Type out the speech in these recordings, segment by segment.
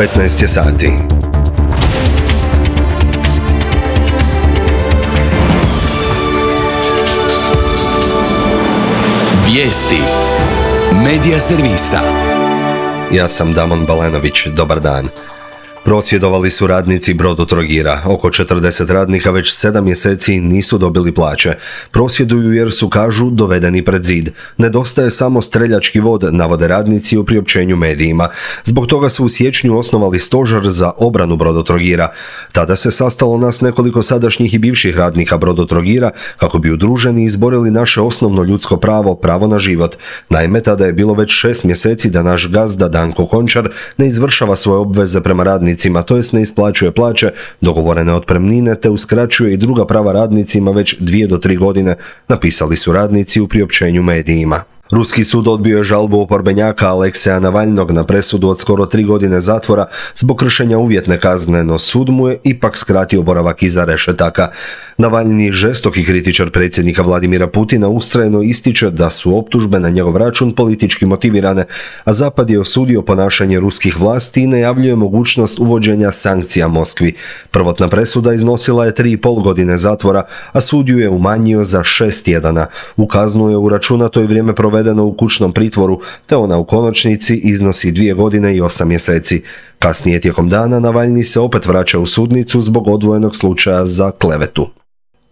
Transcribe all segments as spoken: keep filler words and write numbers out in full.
petnaest je sati. Vijesti Medija servisa. Ja sam Damon Balenović, dobar dan. Prosvjedovali su radnici Brodotrogira. Oko četrdeset radnika već sedam mjeseci nisu dobili plaće. Prosvjeduju jer su, kažu, dovedeni pred zid. Nedostaje samo streljački vod, navode radnici u priopćenju medijima. Zbog toga su u siječnju osnovali stožer za obranu Brodotrogira. Tada se sastalo nas nekoliko sadašnjih i bivših radnika Brodotrogira kako bi udruženi izborili naše osnovno ljudsko pravo, pravo na život. Naime, tada je bilo već šest mjeseci da naš gazda Danko Končar ne izvršava svoje obveze prema radnicima, to jest ne isplaćuje plaće, dogovorene otpremnine, te uskraćuje i druga prava radnicima već dvije do tri godine, napisali su radnici u priopćenju medijima. Ruski sud odbio je žalbu oporbenjaka Alekseja Navalnog na presudu od skoro tri godine zatvora zbog kršenja uvjetne kazne, no sud mu je ipak skratio boravak iza rešetaka. Navalni, žestoki kritičar predsjednika Vladimira Putina, ustrajno ističe da su optužbe na njegov račun politički motivirane, a Zapad je osudio ponašanje ruskih vlasti i najavljuje mogućnost uvođenja sankcija Moskvi. Prvotna presuda iznosila je tri i pol godine zatvora, a sud ju je umanjio za šest tjedana. U kaznu je uračunato i vrijeme provedeno u kućnom pritvoru, te ona u konačnici iznosi dvije godine i osam mjeseci. Kasnije tijekom dana Navalni se opet vraća u sudnicu zbog odvojenog slučaja za klevetu.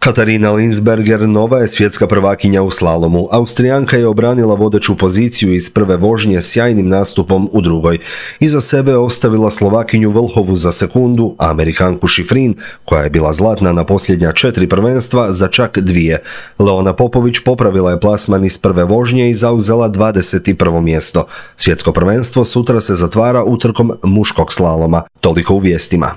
Katarina Linsberger nova je svjetska prvakinja u slalomu. Austrijanka je obranila vodeću poziciju iz prve vožnje sjajnim nastupom u drugoj. Iza sebe je ostavila Slovakinju Vlhovu za sekundu, a Amerikanku Šifrin, koja je bila zlatna na posljednja četiri prvenstva, za čak dvije. Leona Popović popravila je plasman iz prve vožnje i zauzela dvadeset prvo mjesto. Svjetsko prvenstvo sutra se zatvara utrkom muškog slaloma. Toliko u vijestima.